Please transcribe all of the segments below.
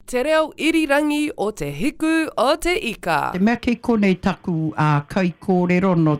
Te reo irirangi o Te Hiku o Te Ika. Te mea kei konei taku kaikōrero nō,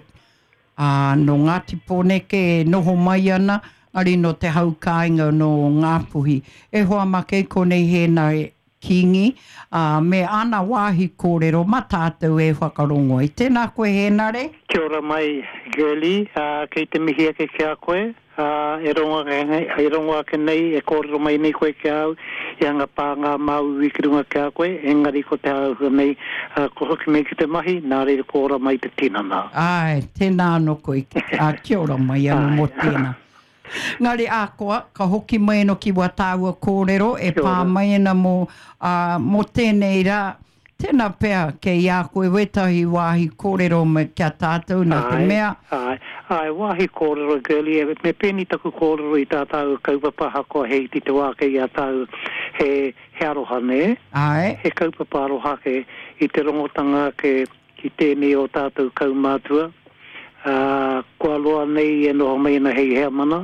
nō Ngāti Pōneke e noho mai ana, engari nō te hau kāinga nō Ngāpuhi. E hoa mā kei konei Hēnare Kingi, ā, me ana wāhi kōrero mā tātou e whakarongo ai. Tēnā koe Hēnare. Kia ora mai Girlie, ā, kei te mihi ake ki a koe, ā, e rongo ake, e rongo ake nei, e kōrero mai nei koe ki a au, i anga pā ngā māuiui ki runga ki a koe, engari ko te āhua nei, ā, kua hoki mai ki te mahi, nā reira kua ora mai te tinana. Āe, tēnā anō koe, ā, kia ora mai anō mō tēnā. Engari akoa, ka hoki mai ano ki wā tāua kōrero e pā mai ana mō, ā, mō tēnei rā. Tēnā pea kei a koe wētahi wāhi kōrero me, ki a tātou nā te mea. Āe, āe, wāhi kōrero, Girlie, me pēnei taku kōrero i tā tāua kaupapa ahakoa he iti te wā kei a tāua, he, he aroha, nē? Āe. He kaupapa aroha ake i te rongotanga ake ki tēnei o tātou kaumātua, ā, kua roa nei e noho mai ana hei heamana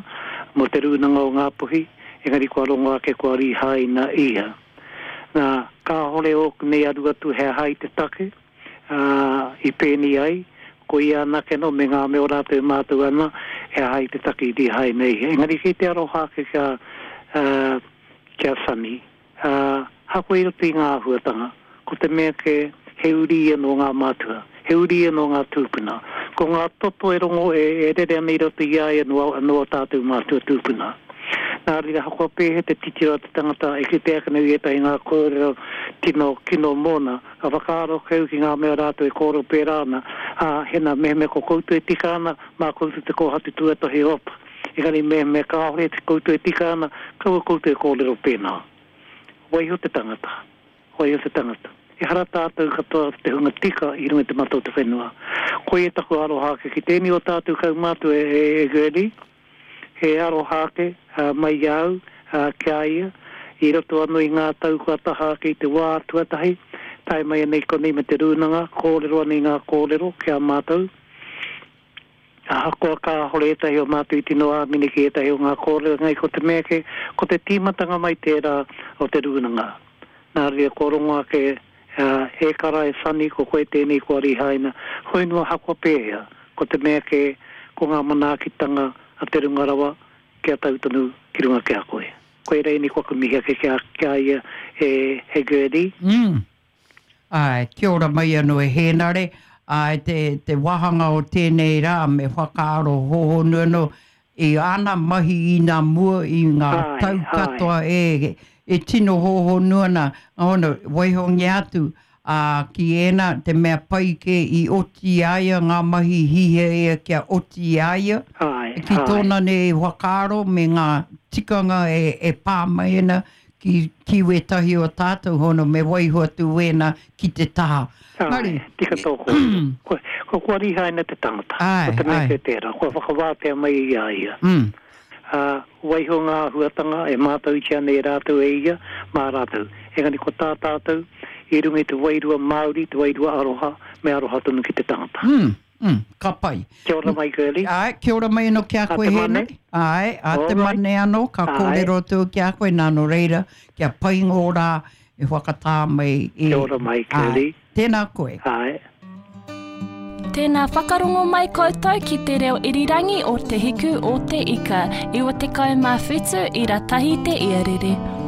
mō Te Rūnanga o Ngāpuhi, engari kua rongo ake kua rīhaina ia. Nā, kāhore ōku nei aru atu he aha i te take, ā, i pēnei ai, ko ia anake anō me ngā mea o rātou e mātau ana he aha i te take i rīhaina ia. Engari kei te aroha ake kia, ā, ki a Sonny. Ā, ahakoa i roto i ngā āhuatanga, ko te mea kē, he uri ia nō ngā mātua, he uri ia nō ngā tūpuna. Ko ngā toto e rongo, e, e rere ana i roto i a ia nō, nō ō tātou mātua tūpuna. Nā reira, ahakoa pēhea te titiro a te tangata e kite ake nei i ētahi ngā kōrero tino kino mōna, ka whakaaro kau ki ngā mea rātou e kōrero pērā ana, ā, hena, mehemea ko koutou e tika ana, mā koutou te kōhatu tuatahi op. Engari mehemea kāore koutou e tika ana, kaua koutou e kōrero pēnā. Waiho te tangata. Waiho te tangata. Ehara tātou katoa te hunga tika i runga i te mata o te whenua. Koia taku aroha ake ki tēnei o tātou kaumātua e, e Gurney. He aroha ake mai i a au ki a ia, i roto anō i ngā tau kua taha ake i te wā tuatahi, tae mai ana i konei me te rūnanga, kōrero ana i ngā kōrero ki a mātou. Ahakoa kāhore ētahi o mātou i tino āmine ki ētahi o ngā kōrero engari ko te mea kē, ko te tīmatanga mai tērā o te rūnanga. Nā reira kua rongo ake, e kara, e Sonny, ko koe tēnei kua rihaina, hoi noa ahakoa pēhea, ko te mea kē, ko ngā manaakitanga a te runga rawa kia tau tonu ki runga ki a koe. Koirā ēnei ko aku mihi ake ki a ia, e Gertie. Āe, kia ora mai anō e Hēnare. Āe, te, te wāhanga o tēnei rā me whakaaro hōhonu anō i āna mahi inā mua i ngā tau katoa e, e tino hōhonu ana, hono, waihongia atu, ā, ki ēnā, te mea pai kē i oti i a ia ngā mahi hihia ia kia oti i a ia, ki tōna nei whakaaro me ngā tikanga e, e pā mai ana ki, ki wētahi o tātou hono me waiho atu wēnā ki te taha. Āe, tika tō kōrero. Kua, kua, kua rihaina te tangata. Āe, Ko te mea āe. kē tērā, kua whakawātea mai i a ia. Mm. Ā, waiho ngā āhuatanga e mātautia ana e rātou e ia, mā rātou. Engari ko tā tātou, i runga i te wairua Māori, te wairua aroha, me aroha tonu ki te tangata. Mm. Mm, ka pai. Kia ora mai, Girlie. Āe, kia ora mai anō ki a koe, Hēnare. Āe, a te mane anō, ka kōrero atu ki a koe, nā, nō reira, kia pai ngō rā e whakatā mai i. Kia ora mai, Girlie. Āe, tēnā koe. Āe. Tēnā whakarongo mai koutou ki te reo irirangi o Te Hiku o Te Ika, 97 ira tahi te iarere.